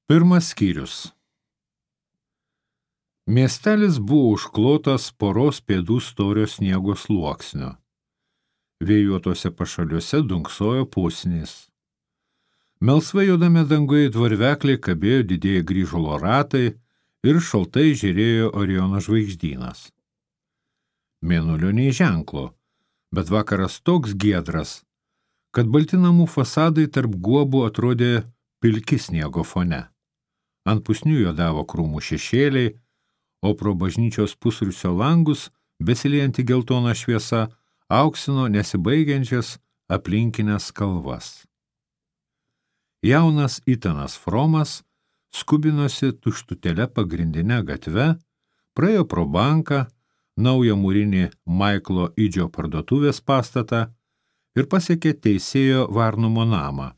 Pirmas skyrius. Miestelis buvo užklotas poros pėdų storio sniego sluoksniu. Vėjuotose pašaliuose dunksojo pusnys. Melsvai juodame danguje tvarvekliai kabėjo didieji grįžulo ratai ir šaltai žiūrėjo Oriono žvaigždynas. Mėnulio nei ženklo, bet vakaras toks giedras, kad balti namų fasadai tarp guobų atrodė pilki sniego fone. Ant pusnių juodavo krūmų šešėliai, o pro bažnyčios pusrūsio langus, besiliejantį geltoną šviesą, auksino nesibaigiančias aplinkinės kalvas. Jaunas Itanas Fromas skubinosi tuštutėle pagrindinę gatve, praėjo pro banką, naują mūrinį Maiklo Idžio parduotuvės pastatą ir pasiekė teisėjo Varnumo namą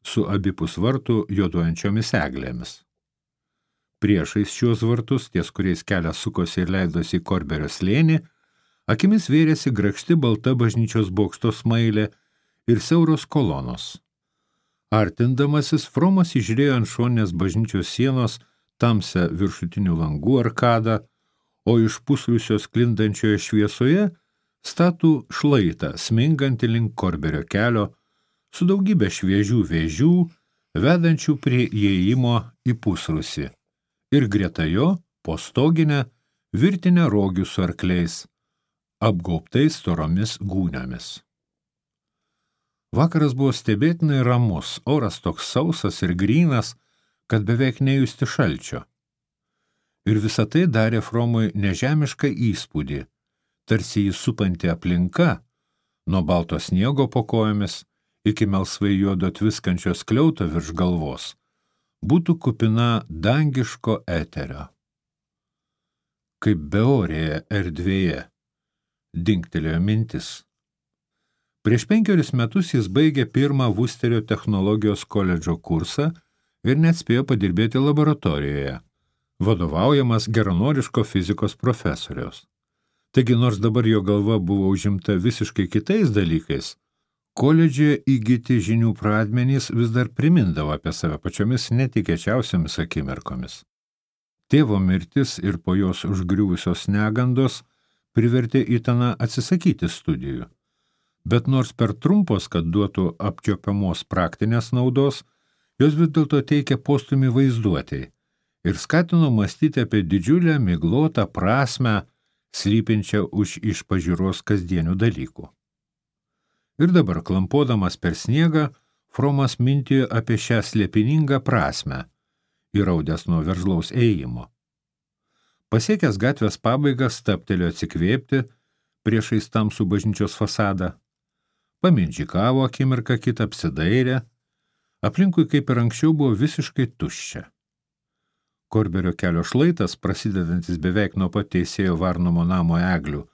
su abipus vartų juoduojančiomis eglėmis. Priešais šios vartus, ties kuriais kelias sukosi ir leidosi į Korberio slėnį, akimis vėrėsi grakšti balta bažnyčios bokšto smailė ir siauros kolonos. Artindamasis, Fromas įžiūrėjo ant šoninės bažnyčios sienos tamsią viršutinių langų arkadą, o iš pusrūsio sklindančioje šviesoje statų šlaitą, smingantį link Korberio kelio, su daugybė šviežių vėžių, vedančių prie įėjimo į pusrūsį, ir greta jo, po stoginę, virtinę rogių su arkliais, apgaubtais storomis gūniomis. Vakaras buvo stebėtinai ramus, oras toks sausas ir grynas, kad beveik nejusti šalčio. Ir visa tai darė Fromui nežemišką įspūdį, tarsi jį supanti aplinka, nuo balto sniego po kojomis iki melsvai juodo tviskančio skliauto virš galvos, būtų kupina dangiško eterio. Kaip beorėje erdvėje, dingtelėjo mintis. Prieš 5 metus jis baigė pirmą Vusterio technologijos koledžo kursą ir net spėjo padirbėti laboratorijoje, vadovaujamas geranoriško fizikos profesoriaus. Taigi, nors dabar jo galva buvo užimta visiškai kitais dalykais, koledžioje įgyti žinių pradmenys vis dar primindavo apie save pačiomis netikėčiausiamis akimirkomis. Tėvo mirtis ir po jos užgriuvusios negandos privertė Itaną atsisakyti studijų. Bet nors per trumpos, kad duotų apčiuopiamos praktinės naudos, jos vis dėlto teikė postūmį vaizduotei ir skatino mąstyti apie didžiulę miglotą prasmę, slypinčią už iš pažiūros kasdienių dalykų. Ir dabar, klampodamas per sniegą, Fromas mintijo apie šią slėpiningą prasmę, įraudęs nuo veržlaus ėjimo. Pasiekęs gatvės pabaigą, stabtelėjo atsikvėpti priešais tamsų bažnyčios fasadą, pamindžikavo akimirką kitą, apsidairė, aplinkui kaip ir anksčiau buvo visiškai tuščia. Korberio kelio šlaitas, prasidedantis beveik nuo pat teisėjo Varnumo namo eglių,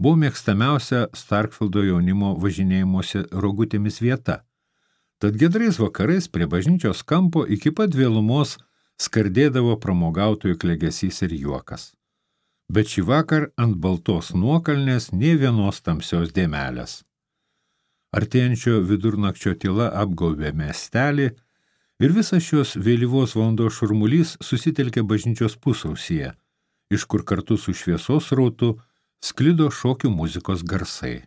buvo mėgstamiausia Starkfieldo jaunimo važinėjimuose rogutėmis vieta. Tad giedrais vakarais prie bažnyčios kampo iki pat vėlumos skardėdavo pramogautojų klegesys ir juokas. Bet šį vakar ant baltos nuokalnės nė vienos tamsios dėmelės. Artėjančio vidurnakčio tyla apgaubė miestelį ir visas šios vėlyvos valandos šurmulys susitelkė bažnyčios pusausyje, iš kur kartu su šviesos rautu sklido šokių muzikos garsai.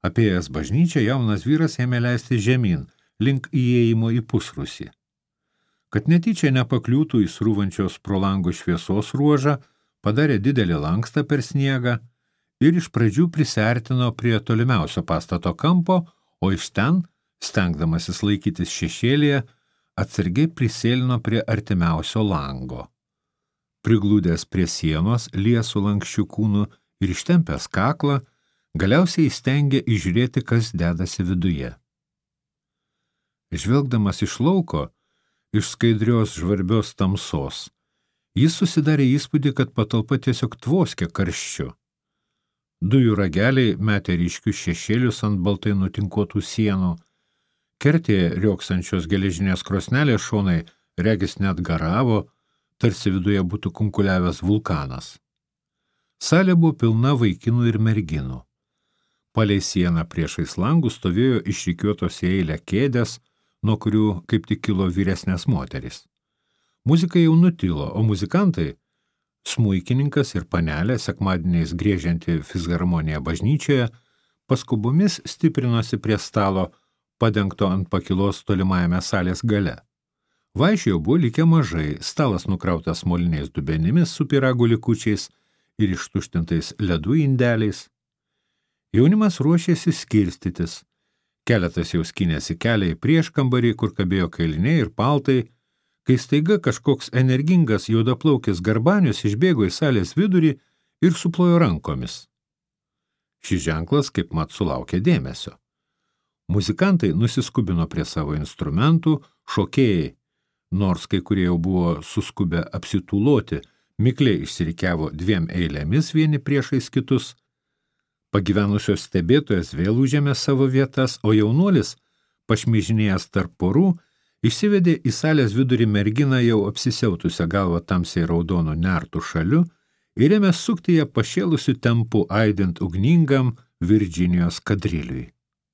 Apėjęs bažnyčią, jaunas vyras ėmė leisti žemyn, link įėjimo į pusrūsį. Kad netyčia nepakliūtų į srūvančios pro langų šviesos ruožą, padarė didelį lankstą per sniegą ir iš pradžių prisiartino prie tolimiausio pastato kampo, o iš ten, stengdamasis laikytis šešėlyje, atsargiai prisėlino prie artimiausio lango. Priglūdęs prie sienos, liesų lankščių kūnų ir ištempęs kaklą, galiausiai įstengė įžiūrėti, kas dedasi viduje. Žvelgdamas iš lauko, iš skaidrios žvarbios tamsos, jis susidarė įspūdį, kad patalpa tiesiog tvoskia karščiu. Dujų rageliai metė ryškius šešėlius ant baltai nutinkuotų sienų, kertė rioksančios geležinės krosnelės šonai regis net garavo, tarsi viduje būtų kunkuliavęs vulkanas. Salė buvo pilna vaikinų ir merginų. Palei sieną priešais langus stovėjo išrikiuotos į eilę kėdės, nuo kurių kaip tik kilo vyresnės moterys. Muzika jau nutilo, o muzikantai, smuikininkas ir panelė, sekmadieniais griežianti fisharmoniją bažnyčioje, paskubomis stiprinosi prie stalo, padengto ant pakilos tolimajame salės gale. Vaišių jau buvo likę mažai, stalas nukrautas moliniais dubenimis su pyragų likučiais ir ištuštintais ledų indeliais. Jaunimas ruošėsi skirstytis. Keletas jau skynėsi kelią į prieškambarį, kur kabėjo kailiniai ir paltai, kai staiga kažkoks energingas juodaplaukis Garbanius išbėgo į salės vidurį ir suplojo rankomis. Šis ženklas kaip mat sulaukė dėmesio. Muzikantai nusiskubino prie savo instrumentų, šokėjai, nors kai kurie jau buvo suskubę apsitūloti, mikliai išsirikiavo 2 eilėmis vieni priešais kitus. Pagyvenusios stebėtojas vėl užėmė savo vietas, o jaunuolis, pašmižinėjęs tarp porų, išsivedė į salės vidurį merginą jau apsisiautusią galvą tamsiai raudonų nertų šaliu ir ėmė sukti ją pašėlusiu tempu aidint ugningam Virdžinijos kadriliui.